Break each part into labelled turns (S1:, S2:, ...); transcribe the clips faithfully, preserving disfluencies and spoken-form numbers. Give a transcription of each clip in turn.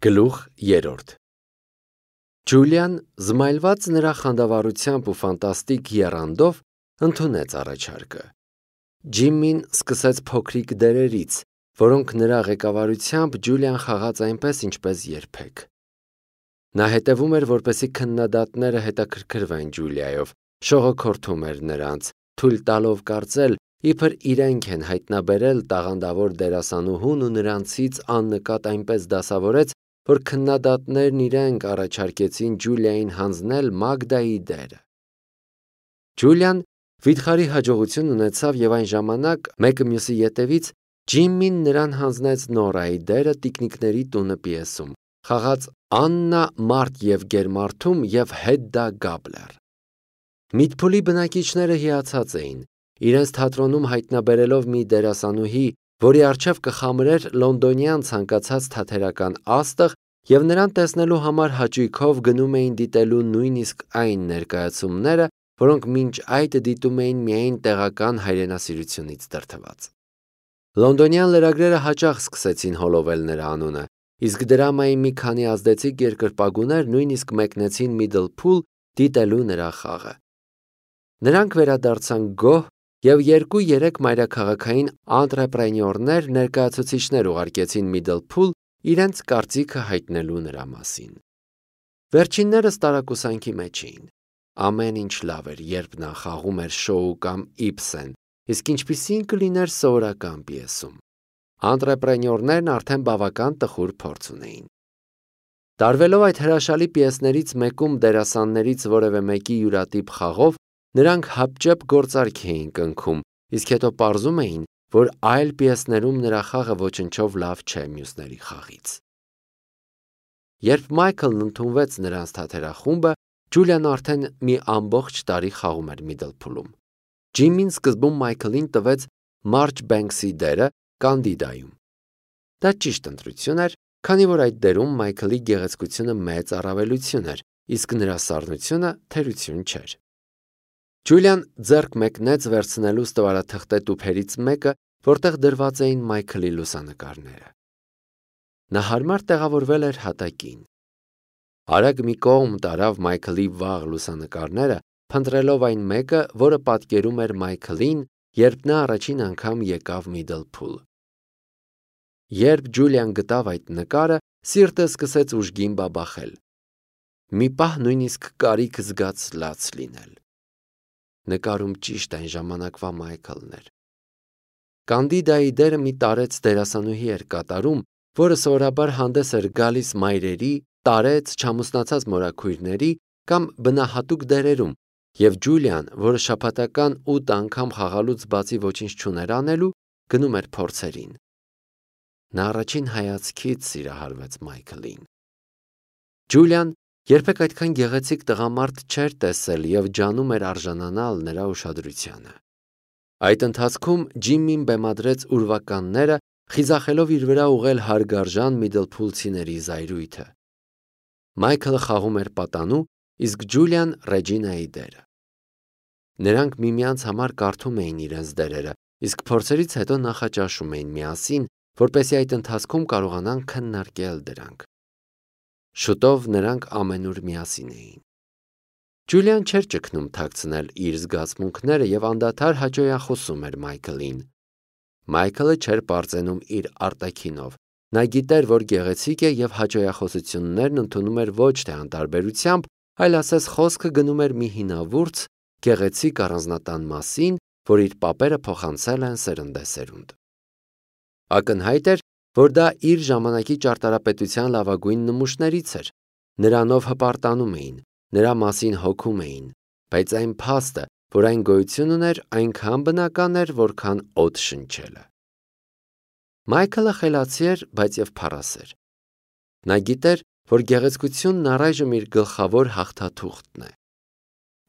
S1: Գլուխ երրորդ Ջուլիան, զմայլված նրա խանդավառությամբ ու ֆանտաստիկ եռանդով, ընդունեց առաջարկը։ Ջիմմին սկսեց փոքրիկ դերերից, որոնք նրա ղեկավարությամբ Ջուլիան խաղաց այնպես, ինչպես երբեք։ Նա հետևում էր, որպեսզի քննադատները հետաքրքրվեն Ջուլիայով, շողոքորթում էր նրանց, թույլ տալով կարծել, իբր իրենք են հայտնաբերել տաղանդավոր դերասանուհուն ու նրանցից աննկատ այնպես դասավորեց, որ քննադատներն իրենք առաջարկեցին Ջուլիային հանձնել Մագդայի դերը։ Ջուլիան վիթխարի հաջողություն ունեցավ և այն ժամանակ, մեկը մյուսի ետևից, Ջիմմին նրան հանձնեց Նորայի դերը Տիկնիկների տունը պիեսում, խաղաց Աննա Մարդ և Գերմարդում և Հեդդա Գաբլեր։ Միդփուլի բնակիչները հիացած էին, իրենց թատրոնում հայտնաբերելով մի դերասանուհի, որի առջև կխամրեր լոնդոնյան ցանկացած թատերական աստղ, և նրան տեսնելու համար հաճույքով գնում էին դիտելու նույնիսկ այն ներկայացումները, որոնք մինչ այդ դիտում էին միայն տեղական հայրենասիրությունից դրդված։ Լոնդոնյան լրագրերը հաճախ սկսեցին հոլովել նրա անունը, իսկ դրամայի մի քանի ազդեցիկ երկրպագուներ նույնիսկ մեկնեցին Միդլփուլ դիտելու նրա խաղը։ Նրանք վերադարձան գոհ և երկու-երեք մայրաքաղաքային անտրեպրենյորներ ներկայացուցիչներ ուղարկեցին Միդլփուլ իրենց կարծիքը հայտնելու նրա մասին։ Վերջիններս տարակուսանքի մեջ էին։ Ամեն ինչ լավ էր, երբ նա խաղում էր Շոու կամ Իբսեն, իսկ ինչպիսի՞ն կլիներ սովորական պիեսում։ Անտրեպրենյորներն արդեն բավական տխուր փորձ ունեին։ Տարվելով այդ հրաշալի պիեսներից մեկում դերասաններից որևէ մեկի յուրատիպ խաղով, նրանք հապճեպ գործարք էին կնքում, իսկ հետո պարզում էին, որ այլ պիեսներում նրա խաղը ոչնչով լավ չէ մյուսների խաղից։ Երբ Մայքլն ընդունվեց նրանց թատերախումբը, Ջուլիան արդեն մի ամբողջ տարի խաղում էր Միդլփուլում։ Ջիմմին սկզբում Մայքլին տվեց Մարջբենքսի դերը Կանդիդայում։ Դա ճիշտ ընտրություն էր, քանի որ այդ դերում Մայքլի գեղեցկությունը մեծ առավելություն էր, իսկ նրա սառնությունը թերություն չէր։ Ջուլիան ձեռք մեկնեց վերցնելու ստվարաթղթե տուփերից մեկը, որտեղ դրված էին Մայքլի լուսանկարները։ Նա հարմար տեղավորվել էր հատակին։ Արագ մի կողմ տարավ Մայքլի վաղ լուսանկարները, փնտրելով այն մեկը, որը պատկերում էր Մայքլին, երբ նա առաջին անգամ եկավ Միդլփուլ։ Երբ Ջուլիան գտավ այդ նկարը, սիրտը սկսեց ուժգին բաբախել։ Մի պահ նույնիսկ կարիք զգաց լաց լինել։ Նկարում ճիշտ այն ժամանակվա Մայքլն էր։ Կանդիդայի դերը մի տարեց դերասանուհի էր կատարում, որը սովորաբար հանդես էր գալիս մայրերի, տարեց, չամուսնացած մորաքույրների կամ բնահատուկ դերերում, և Ջուլիան, որը շաբաթական ութ անգամ խաղալուց բացի ոչինչ չուներ անելու, գնում էր փորձերին։ Նա առաջին հայացքից սիրահարվեց Մայքլին։ Ջուլիան երբեք այդքան գեղեցիկ տղամարդ չէր տեսել և ջանում էր արժանանալ նրա ուշադրությանը։ Այդ ընթացքում Ջիմմին բեմադրեց ուրվականները, խիզախելով իր վրա ուղղել հարգարժան միդլփուլցիների զայրույթը։ Մայքլը խաղում էր պատանու, իսկ Ջուլիան Ռեջինայի դերը։ Նրանք միմյանց համար կարդում էին իրենց դերերը, իսկ փորձերից հետո նախաճաշում էին միասին, որպեսզի այդ ընթացքում կարողանան քննարկել դրանք։ Շուտով նրանք ամենուր միասին էին։ Ջուլիան չէր ճգնում թաքցնել իր զգացմունքները և անդադար հաճոյախոսում էր Մայքլին։ Մայքլը չէր պարծենում իր արտաքինով։ Նա գիտեր, որ գեղեցիկ է և հաճոյախոսություններն ընդունում էր ոչ թե անտարբերությամբ, այլ ասես խոսքը գնում էր մի հինավուրց, գեղեցիկ առանձնատան մասին, որ իր պապերը փոխանցել են սերնդեսերունդ։ Ակնհայտ էր, որ դա իր ժամանակի ճարտարապետության լավագույն նմուշներից էր։ Նրանով հպարտանում էին, նրա մասին հոգում էին, բայց այն փաստը, որ այն գոյություն ուներ, այնքան բնական էր, որքան օդ շնչելը։ Մայքլը խելացի էր, բայց և փառասեր։ Նա գիտեր, որ գեղեցկությունն առայժմ իր գլխավոր հաղթաթուղթն է։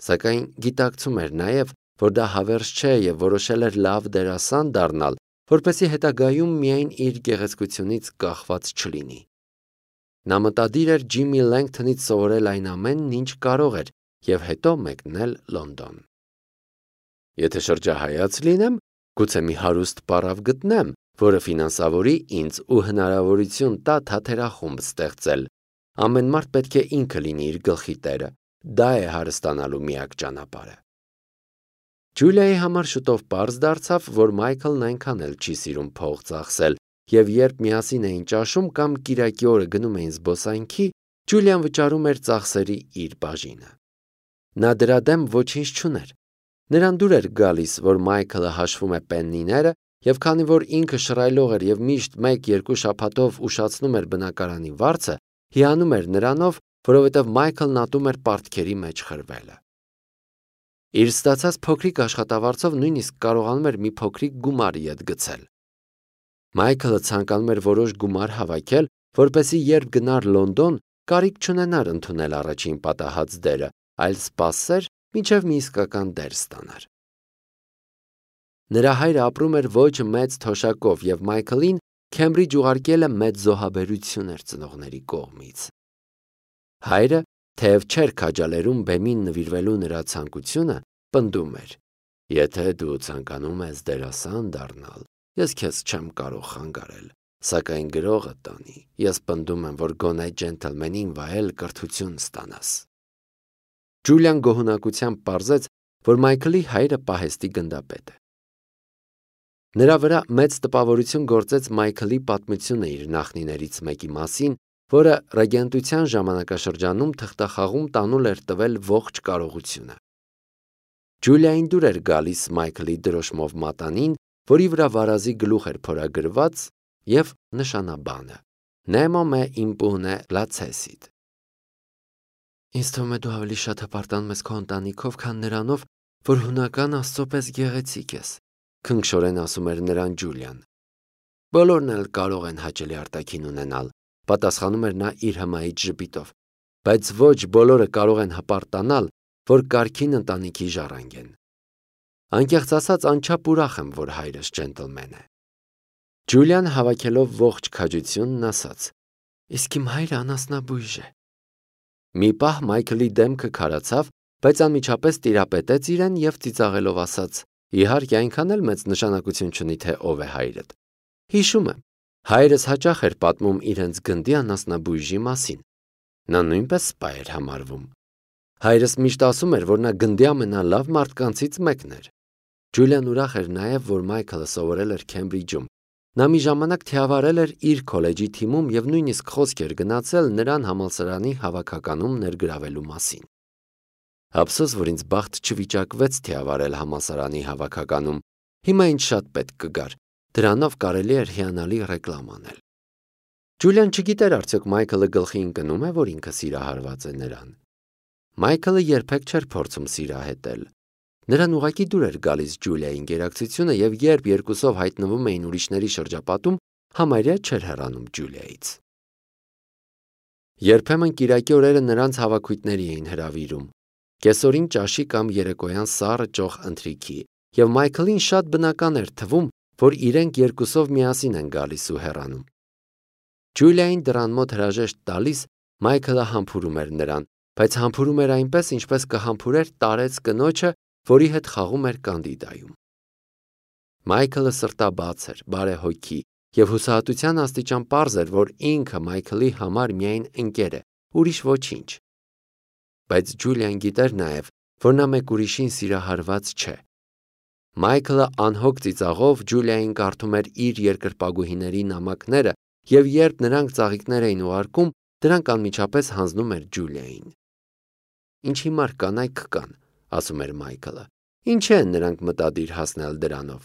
S1: Սակայն գիտակցում էր նաև, որ դա հավերժ չէ և որոշել էր լավ դերասան դառնալ, որպեսզի հետագայում միայն իր գեղեցկությունից կախված չլինի։ Նա մտադիր էր Ջիմմի Լենգթոնից սովորել այն ամենն, ինչ կարող էր, և հետո մեկնել Լոնդոն։ Եթե շրջահայաց լինեմ, գուցե մի հարուստ պառավ գտնեմ, որը ֆինանսավորի ինձ ու հնարավորություն տա թատերախումբ ստեղծել։ Ամեն մարդ պետք է ինքը լինի իր գլխի տերը, դա է հարստանալու միակ ճանապարհը։ Ջուլիայի համար շուտով պարզ դարձավ, որ Մայքլն այնքան էլ չի սիրում փող ծախսել, եւ երբ միասին էին ճաշում կամ կիրակի օրը գնում էին զբոսայգի, Ջուլիան վճարում էր ծախսերի իր բաժինը։ Նա դրա դեմ ոչինչ չուներ։ Նրան դուր էր գալիս, որ Մայքլը հաշվում է պեննիները, եւ քանի որ ինքը շռայլող էր եւ միշտ մեկ-երկու շաբաթով ուշացնում էր բնակարանի վարձը, հիանում էր նրանով, որովհետև Մայքլն ատում էր պարտքերի մեջ խրվելը։ Իր ստացած փոքրիկ աշխատավարձով նույնիսկ կարողանում էր մի փոքրիկ գումար ետ գցել։ Մայքլը ցանկանում էր որոշ գումար հավաքել, որպեսզի երբ գնար Լոնդոն, կարիք չունենար ընդունել առաջին պատահած դերը, այլ սպասեր, մինչև մի իսկական դեր ստանար։ Նրա հայրը ապրում էր ոչ մեծ թոշակով եւ Մայքլին Քեմբրիջ ուղարկելը մեծ զոհաբերություն էր ծնողների կողմից։ Հայրը, թեև չէր քաջալերում բեմին նվիրվելու նրա ցանկությունը, պնդում էր. «Եթե դու ցանկանում ես դերասան դառնալ, ես քեզ չեմ կարող խանգարել, սակայն գրողը տանի, ես պնդում եմ, որ գոնե ջենթլմենին վայել կրթություն ստանաս»։ Ջուլիան գոհունակությամբ պարզեց, որ Մայքլի հայրը պահեստի գնդապետ է։ Նրա վրա մեծ տպավորություն գործեց Մայքլի պատմությունը իր նախնիներից մեկի մասին, որը ռեգենտության ժամանակաշրջանում թղթախաղում տանուլ էր տվել ողջ կարողությունը։ Ջուլիային դուր էր գալիս Մայքլի դրոշմով մատանին, որի վրա վարազի գլուխ էր փորագրված եւ նշանաբանը. Nemo me impune lacessit։ Ինձ թվում է դու ավելի շատ հպարտանում ես քո ընտանիքով, քան նրանով, որ հունական աստծո պես գեղեցիկ ես, քնքշորեն ասում էր նրան Ջուլիան։ Բոլորն էլ կարող են հաճելի արտաքին ունենալ, պատասխանում էր նա իր հմայիչ ժպիտով, բայց ոչ բոլորը կարող են հպարտանալ, որ կարգին ընտանիքի ժառանգ են։ Անկեղծ ասած, անչափ ուրախ եմ, որ հայրս ջենտլմեն է։ Ջուլիան հավաքելով ողջ քաջությունն ասաց. Իսկ իմ հայրը անասնաբույժ է։ Մի պահ Մայքլի դեմքը քարացավ, բայց անմիջապես տիրապետեց իրեն եւ ծիծաղելով ասաց. Իհարկե այնքան էլ մեծ նշանակություն չունի, թե ով է հայրդ։ Հիշում եմ, հայրս հաճախ էր պատմում իրենց գնդի անասնաբույժի մասին։ Նա նույնպես սպա էր համարվում։ Հայրս միշտ ասում էր, որ նա գնդի ամենալավ մարդկանցից մեկն էր։ Ջուլիան ուրախ էր նաև, որ Մայքլը սովորել էր Քեմբրիջում։ Նա մի ժամանակ թիավարել էր իր քոլեջի թիմում եւ նույնիսկ խոսք էր գնացել նրան համալսարանի հավաքականում ներգրավելու մասին։ Ափսոս, որ ինձ բախտ չվիճակվեց թիավարել համալսարանի հավաքականում։ Հիմա ինձ շատ պետք կգար։ Դրանով կարելի էր հիանալի ռեկլամ անել։ Ջուլիան չգիտեր արդյոք Մայքլը գլխի ընկնում է, որ ինքը սիրահարված է նրան։ Մայքլը երբեք չէր փորձում սիրահետել։ Նրան ուղղակի դուր էր գալիս Ջուլիայի ինտերակցիոնը եւ երբ երկուսով հայտնվում էին ուրիշների շրջապատում, համարյա չէր հեռանում Ջուլիայից։ Երբեմն կիրակի օրերը նրանց հավաքույթների էին հրավիրում։ Կեսօրին ճաշի կամ երեկոյան սառը ճոխ ընթրիքի, եւ Մայքլին շատ բնական էր թվում, որ իրենք երկուսով միասին են գալիս ու հեռանում։ Ջուլիային դռան մոտ հրաժեշտ տալիս Մայքլը համբուրում էր նրան, բայց համբուրում էր այնպես, ինչպես կհամբուրեր տարեց կնոջը, որի հետ խաղում էր կանդիդայում։ Մայքլը սրտաբաց էր, բարեհոգի, եւ հուսահատության աստիճան պարզ էր, որ ինքը Մայքլի համար միայն ընկեր է, ուրիշ ոչինչ։ Բայց Ջուլիան գիտեր նաև, որ նա մեկ ուրիշին սիրահարված չէ։ Մայքլը անհոգ ծիծաղով Ջուլիային կարդում էր իր երկրպագուհիների նամակները, եւ երբ նրանք ծաղիկներ էին ուղարկում, դրանք անմիջապես հանձնում էր Ջուլիային։ Ինչ հիմար կանայք կան, ասում էր Մայքլը։ Ինչ են նրանք մտադիր հասնել դրանով։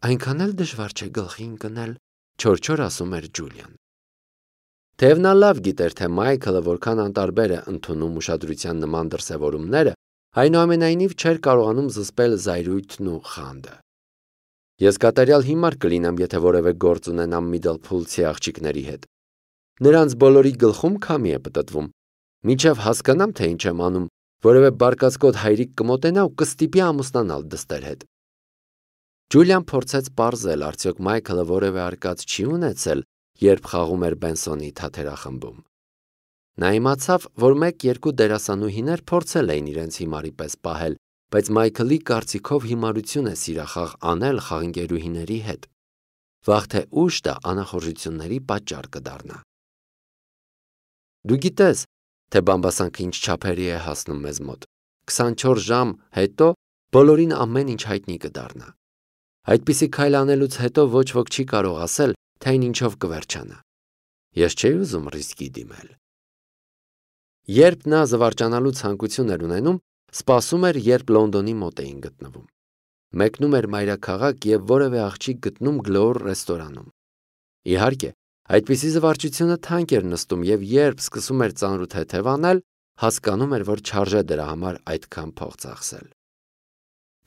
S1: Այնքան էլ դժվար չէ գլխի ընկնել, չոր-չոր ասում էր Ջուլիան։ Թեև նա լավ գիտեր, թե Մայքլը որքան անտարբեր է ընդունում ուշադրության նման դրսևորումները, այնուամենայնիվ չէր կարողանում զսպել զայրույթն ու խանդը։ Ես կատարյալ հիմար կլինեմ, եթե որևէ գործ ունենամ Միդլփուլցի աղջիկների հետ։ Նրանց բոլորի գլխում քամի է պտտվում։ Մինչև հասկանամ, թե ինչ եմ անում, որևէ բարկացկոտ հայրիկ կմոտենա ու կստիպի ամուսնանալ դստեր հետ։ Ջուլիան փորձեց պարզել, արդյոք Մայքլը որևէ արկած չի ունեցել, երբ խաղում էր Բենսոնի թատերախմբում։ Նա իմացավ, որ մեկ-երկու դերասանուհիներ փորձել էին իրենց հիմարի պես պահել, բայց Մայքլի կարծիքով հիմարություն է սիրախաղ անել խաղընկերուհիների հետ։ վաղ թե ուշ դա անախորժությունների պատճառ կդառնա։ Դու գիտես, թե բամբասանքը ինչ չափերի է հասնում մեզ մոտ։ քսանչորս ժամ հետո բոլորին ամեն ինչ հայտնի կդառնա։ Այդպիսի քայլ անելուց հետո ոչ ոք չի կարող ասել, թե այն ինչով կվերջանա։ Ես չէի ուզում ռիսկի դիմել։ Երբ նա զվարճանալու ցանկություն էր ունենում, սպասում էր, երբ Լոնդոնի մոտ էին գտնվում։ Մեկնում էր մայրաքաղաք և որևէ աղջիկ գտնում գլոր ռեստորանում։ Իհարկե, այդպիսի զվարճությունը թանկ էր նստում և երբ սկսում էր ծանրութ թեթևանել, հասկանում էր, որ չարժե դրա համար այդքան փող ծախսել։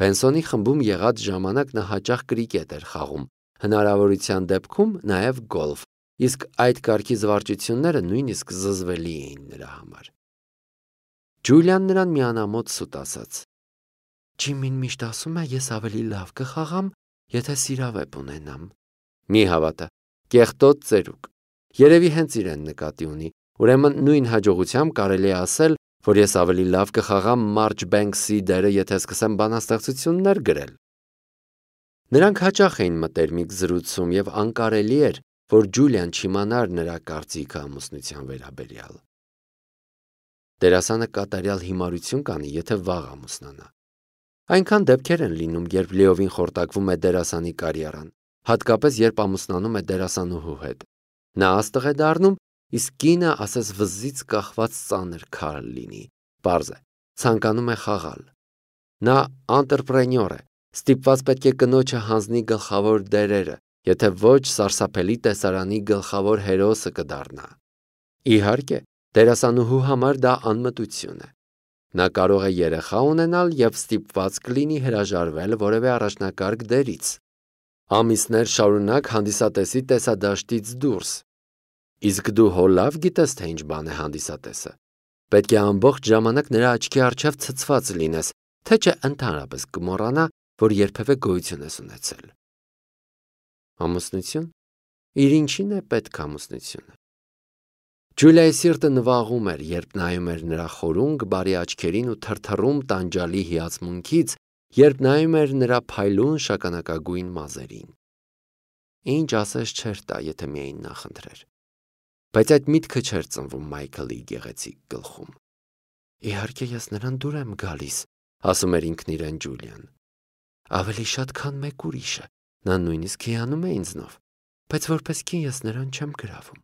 S1: Պենսոնի խմբում եղած ժամանակ նա հաճախ կրիկետ էր խաղում, հնարավորության դեպքում նաև գոլֆ, իսկ այդ կարգի զվարճությունները նույնիսկ զզվելի էին նրա համար։ Ջուլիան նրան միանամոտ սուտ ասաց. Ջիմին միշտ ասում է, ես ավելի լավ կխաղամ, եթե սիրավեպ ունենամ։ Մի հավատա, կեղտոտ ծերուկ։ Երևի հենց իրեն նկատի ունի, ուրեմն նույն հաջողությամբ կարելի է ասել, որ ես ավելի լավ կխաղամ Մարջ Բենքսի դերը, եթե սկսեմ բանաստեղծություններ գրել։ Նրանք հաճախ էին մտերմիկ զրուցում և անկարելի էր, որ Ջուլիան չիմանար նրա կարծիքը ամուսնության վերաբերյալ։ Դերասանը կատարյալ հիմարություն կանի, եթե վաղ ամուսնանա։ Այնքան դեպքեր են լինում, երբ լիովին խորտակվում է դերասանի կարիերան, հատկապես երբ ամուսնանում է դերասանուհու հետ։ Նա աստղ է դառնում, իսկ կինը ասես վզից կախված ծանր քար լինի, պարզ է, ցանկանում է խաղալ։ Նա անտրեպրենյոր է, ստիպված պետք է կնոջը հանձնի գլխավոր դերերը, եթե ոչ սարսափելի տեսարանի գլխավոր հերոսը կդառնա։ Իհարկե, դերասանուհու համար դա անմտություն է։ Նա կարող է երեխա ունենալ և ստիպված կլինի հրաժարվել որևէ առաջնակարգ դերից։ Ամիսներ շարունակ հանդիսատեսի տեսադաշտից դուրս։ Իսկ դու հո լավ գիտես, թե ինչ բան է հանդիսատեսը։ Պետք է ամբողջ ժամանակ նրա աչքի առջև ցցված լինես, թե չէ ընդհանրապես կմոռանա, որ երբևէ գոյություն ես ունեցել։ Ամուսնություն։ Իր ինչին է պետք ամուսնությունը։ Ջուլիայի սիրտը նվաղում էր, երբ նայում էր նրա խորունկ բարի աչքերին ու թրթռում տանջալի հիացմունքից, երբ նայում էր նրա փայլուն շագանակագույն մազերին։ Ինչ ասես չէր տա, եթե միայն նախընտրեր։ Բայց այդ միտքը չէր ծնվում Մայքլի գեղեցիկ գլխում։ Իհարկե ես նրան դուր եմ գալիս, ասում էր ինքն իրեն Ջուլիան։ Ավելի շատ, քան մեկ ուրիշը, նա նույնիսկ հիանում է ինձնով, բայց որպես կին ես նրան չեմ գրավում։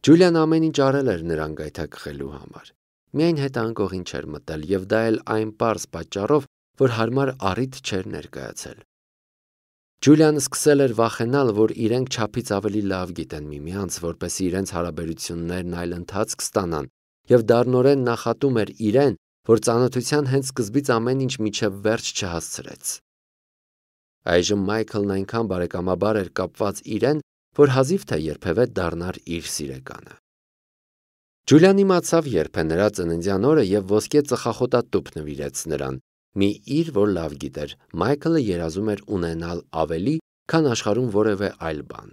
S1: Ջուլիան ամեն ինչ արել էր նրան գայթակղելու համար։ Միայն հետանկողին չէր մտել և դա էլ այն պարզ պատճառով, որ հարմար առիթ չէր ներկայացել։ Ջուլիան սկսել էր վախենալ, որ իրենք չափից ավելի լավ գիտեն միմյանց, որպեսզի իրենց հարաբերություններն այլ ընթացք ստանան, և դառնորեն նախատում էր իրեն, որ ծանոթության հենց սկզբից ամեն ինչ մինչև վերջ չհասցրեց։ Այժմ Մայքլն այնքան բարեկամաբար էր կապված իրեն, որ հազիվ թե երբևէ դառնար իր սիրեկանը։ Ջուլիան իմացավ, երբ է նրա ծննդյան օրը և ոսկե ծխախոտատուփ նվիրեց նրան, մի իր, որ լավ գիտեր, Մայքլը երազում էր ունենալ ավելի, քան աշխարհում որևէ այլ բան։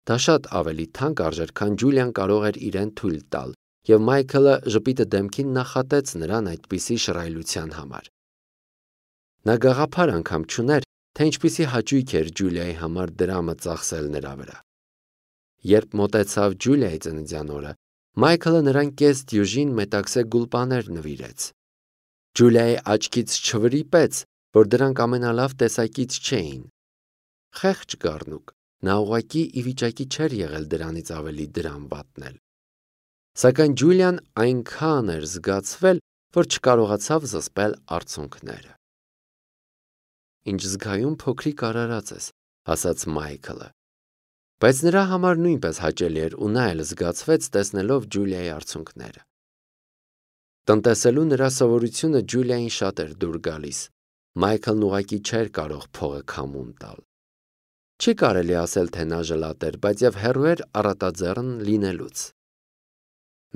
S1: Դա շատ ավելի թանկ արժեր, քան Ջուլիան կարող էր իրեն թույլ տալ, և Մայքլը ժպիտը դեմքին նախատեց նրան այդպիսի շռայլության համար։ Նա գաղափար անգամ չուներ, թե ինչպիսի հաճույք էր Ջուլիայի համար դրամը ծախսել նրա վրա։ Երբ մոտեցավ Ջուլիայի ծննդյան օրը, Մայքլը նրան կես դյուժին մետաքսե գուլպաներ նվիրեց։ Ջուլիայի աչքից չվրիպեց, որ դրանք ամենալավ տեսակից չէին։ Խեղճ գառնուկ, նա ուղղակի ի վիճակի չէր եղել դրանից ավելի դրամ վատնել։ Սակայն Ջուլիան այնքան էր զգացվել, որ չկարողացավ զսպել արցունքները։ Ինչ զգայուն փոքրիկ արարած ես, ասաց Մայքլը։ Բայց նրա համար նույնպես հաճելի էր ու նա էլ զգացվեց, տեսնելով Ջուլիայի արցունքները։ Տնտեսելու նրա սովորությունը Ջուլիային շատ էր դուր գալիս։ Մայքլն ուղղակի չէր կարող փողը քամուն տալ։ Չի կարելի ասել, թե նա ժլատ էր, բայց և հեռու էր առատաձեռն լինելուց։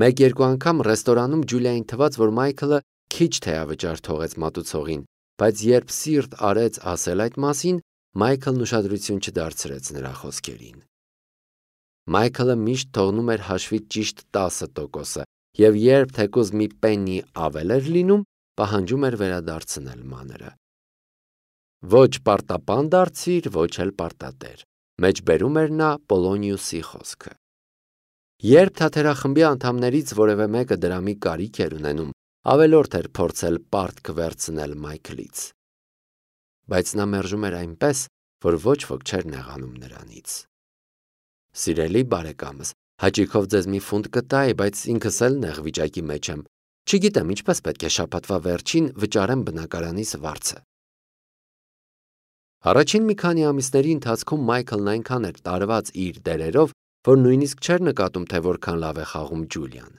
S1: Մեկ-երկու անգամ ռեստորանում Ջուլիային թվաց, որ Մայքլը քիչ թեյավճար թողեց մատուցողին, բայց երբ սիրտ արեց ասել այդ մասին, Մայքլն ուշադրություն չդարձրեց նրա խոսքերին։ Մայքլը միշտ թողնում էր հաշվի ճիշտ տասը տոկոսը, և երբ թեկուզ մի պեննի ավել էր լինում, պահանջում էր վերադարձնել մանրը։ Ոչ պարտապան դարձիր, ոչ էլ պարտատեր, մեջբերում էր նա Պոլոնիուսի խոսքը։ Երբ թատերախմբի անդամներից որևէ մեկը դրամի կարիք էր ունենում, ավելորդ էր փորձել պարտք վերցնել Մայքլից։ Բայց նա մերժում էր այնպես, որ ոչ ոք չէր նեղանում նրանից։ Սիրելի բարեկամս, հաճիքով ձեզ մի ֆունտ կտայի, բայց ինքս էլ նեղ վիճակի մեջ եմ։ Չգիտեմ ինչպես պետք է շաբաթվա վերջին վճարեմ բնակարանիս վարձը։ Առաջին մի քանի ամիսների ընթացքում Մայքլն այնքան էր տարված իր դերերով, որ նույնիսկ չէր նկատում, թե որքան լավ է խաղում Ջուլիան։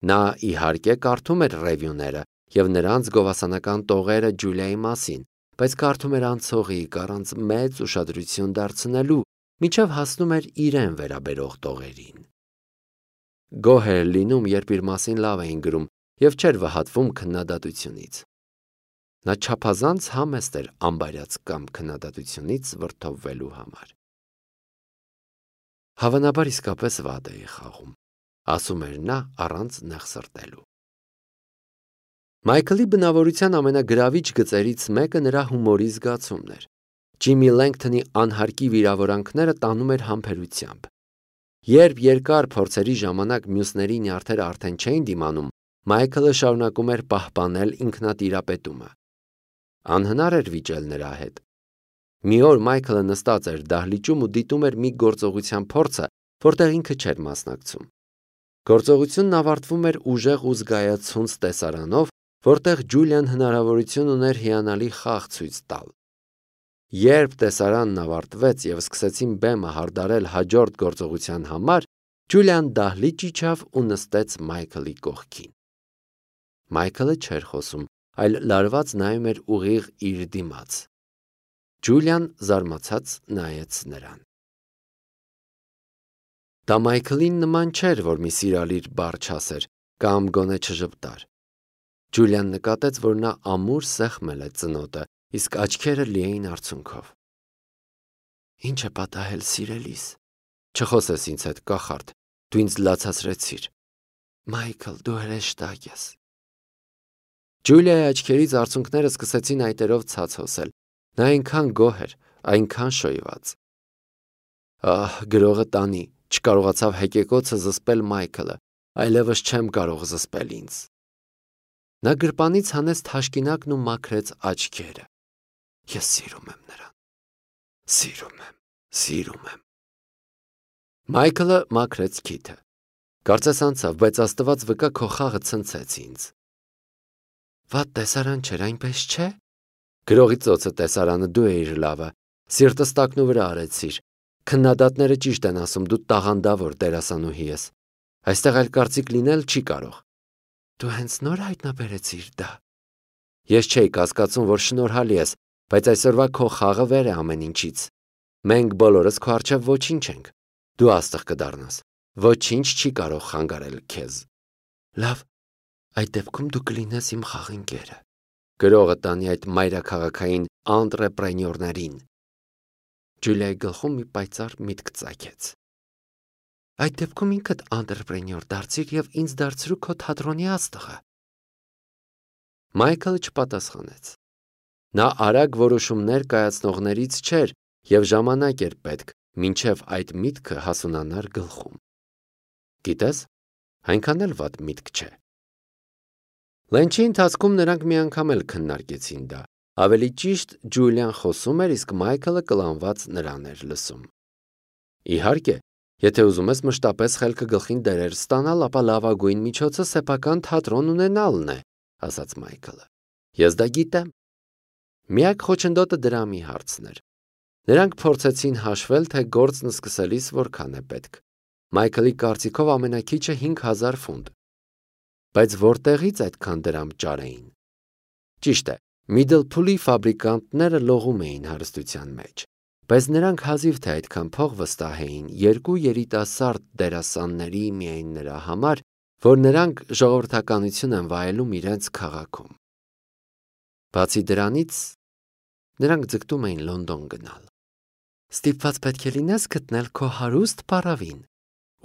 S1: Նա իհարկե կարդում էր ռևյուները և նրանց գովասանական տողերը Ջուլիայի մասին, բայց կարդում էր անցողիկ, առանց մեծ ուշադրություն դարձնելու, մինչև հասնում էր իրեն վերաբերող տողերին։ Գոհ էր լինում, երբ իր մասին լավ էին գրում և չէր վհատվում քննադատությունից։ Նա չափազանց համեստ էր անբարյաց կամ քննադատությունից վրդովվելու համար։ Հավանաբար իսկապես վատ էի խաղում, ասում էր նա առանց նեղ սրտելու։ Մայքլի բնավորության ամենագրավիչ գծերից մեկը նրա հումորի զգացումն էր։ Ջիմի Լենգթոնի անհարկի վիրավորանքները տանում էր համբերությամբ։ Երբ երկար փորձերի ժամանակ մյուսների նյարդերը արդեն չէին դիմանում, Մայքլը շարունակում էր պահպանել ինքնատիրապետումը։ Անհնար էր վիճել նրա հետ։ Մի օր Մայքլը նստած էր դահլիճում ու դիտում էր մի գործողության փորձը, որտեղ ինքը չէր մասնակցում։ Գործողությունն ավարտվում էր ուժեղ ու զգայացունց տեսարանով, որտեղ Ջուլիան հնարավորություն ուներ հիանալի խաղ ցույց տալ։ Երբ տեսարանն ավարտվեց և սկսեցին բեմը հարդարել հաջորդ գործողության համար, Ջուլիան դահլիճ իջավ ու նստեց Մայքլի կողքին։ Մայքլը չէր խոսում, այլ լարված նայում էր ուղիղ իր դիմաց։ Ջուլիան զարմացած նայեց նրան։ Դա Մայքլին նման չէր, որ մի սիրալիր բառ չասեր կամ գոնե չժպտար։ Ջուլիան նկատեց, որ նա ամուր սեղմել է ծնոտը, իսկ աչքերը լի էին արցունքով։ Ինչ է պատահել, սիրելիս։ Չխոսես ինձ հետ, կախարդ, դու ինձ լացացրեցիր։ Մայքլ, դու հրեշտակ ես։ Ջուլիայի աչքերից արցունքները սկսեցին այտերով ցած հոսել։ Նա այնքան գոհ էր, այնքան շոյված։ Ահ, գրողը տանի, չկարողացավ հեկեկոցը զսպել Մայքլը, այլևս չեմ կարող զսպել ինձ։ Նա գրպանից հանեց թաշկինակն ու մաքրեց աչքերը։ Ես սիրում եմ նրան։ Սիրում եմ, սիրում եմ։ Մայքլը մաքրեց քիթը։ Կարծես անցավ, բայց Աստված վկա, քո խաղը ցնցեց ինձ։ Վատ տեսարան չէր, այնպես չէ։ Գրողի ծոցը տեսարանը դու էիր լավը, սիրտս տակնու վրա արեցիր։ Քննադատները ճիշտ են ասում, դու տաղանդավոր դերասանուհի ես։ Այստեղ այլ կարծիք լինել չի կարող։ Դու հենց նոր հայտնաբերեցիր դա։ Ես չէի կասկածում, որ շնորհալի ես, բայց այսօրվա քո խաղը վեր է ամեն ինչից։ Մենք բոլորս քո առջև ոչինչ ենք։ Դու աստղ կդառնաս։ Ոչինչ չի կարող խանգարել քեզ։ Լավ, այդ դեպքում դու կլինես իմ խաղընկերը։ Գրողը տանի այդ մայրաքաղաքային անտրեպրենյորներին։ Ջուլիայի գլխում մի պայծառ միտք ծագեց։ Այդ դեպքում ինքդ անտրեպրենյոր դարձիր և ինձ դարձրու քո թատրոնի աստղը։ Մայքլը չպատասխանեց։ Նա արագ որոշումներ կայացնողներից չէր և ժամանակ էր պետք, մինչև այդ միտքը հասունանար գլխում։ Գիտես, այնքան էլ վատ միտք չէ։ Լենչի ընթացքում նրանք մի անգամ էլ քննարկեցին դա։ Ավելի ճիշտ Ջուլիան խոսում էր, իսկ Մայքլը կլանված նրան էր լսում։ Իհարկե, եթե ուզում ես մշտապես խելքը գլխին դերեր ստանալ, ապա լավագույն միջոցը սեփական թատրոն ունենալն է, ասաց Մայքլը։ Ես դա գիտեմ։ Միակ խոչընդոտը դրամի հարցն էր։ Նրանք փորձեցին հաշվել, թե գործն սկսելիս որքան է պետք։ Մայքլի կարծիքով ամենաքիչը հինգ հազար ֆունտ։ Բայց որտեղից այդքան դրամ ճարեին։ Ճիշտ է, Միդլփուլի ֆաբրիկանտները լողում էին հարստության մեջ, բայց նրանք հազիվ թե այդքան փող վստահեին երկու երիտասարդ դերասանների միայն նրա համար, որ նրանք ժողովրդականություն են վայելում իրենց քաղաքում։ Բացի դրանից, նրանք ձգտում էին Լոնդոն գնալ։ Ստիպված պետք է լինես գտնել քո հարուստ փարավին,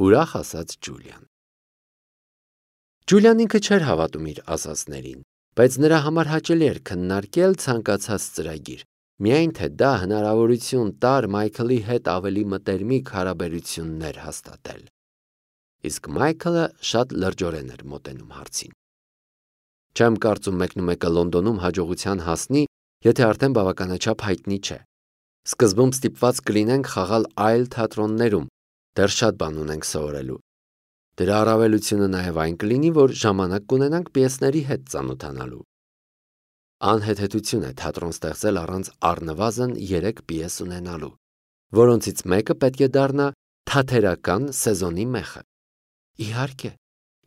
S1: ուրախ ասաց Ջուլիան։ Ջուլիան ինքը չէր հավատում իր ասածներին, բայց նրա համար հաճելի էր քննարկել ցանկացած ծրագիր, Միայն թե դա հնարավորություն տար Մայքլի հետ ավելի մտերմիկ հարաբերություններ հաստատել։ Իսկ Մայքլը շատ լրջորեն էր մոտենում հարցին։ Չեմ կարծում մեկնումեկը Լոնդոնում հաջողության հասնի, եթե արդեն բավականաչափ հայտնի չէ։ Սկզբում ստիպված կլինենք խաղալ այլ թատրոններում, դեռ շատ բան ունենք սովորելու։ Դրա առավելությունը նաև այն կլինի, որ ժամանակ կունենանք պիեսների հետ ծանոթանալու։ Անհեթեթություն է թատրոն ստեղծել առանց առնվազն երեք պիես ունենալու, որոնցից մեկը պետք է դառնա թատերական սեզոնի մեխը։ Իհարկե,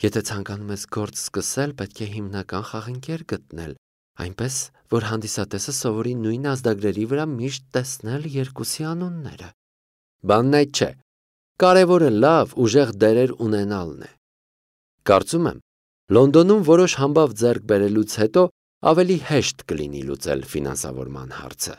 S1: եթե ցանկանում ես գործ սկսել, պետք է հիմնական խաղընկեր գտնել, այնպես, որ հանդիսատեսը սովորի նույն ազդագրերի վրա միշտ տեսնել երկուսի անունները։ Բանն այդ չէ։ Կարևորը լավ, ուժեղ դերեր ունենալն է։ Կարծում եմ, Լոնդոնում որոշ համբավ ձեռք բերելուց հետո ավելի հեշտ կլինի լուծել ֆինանսավորման հարցը։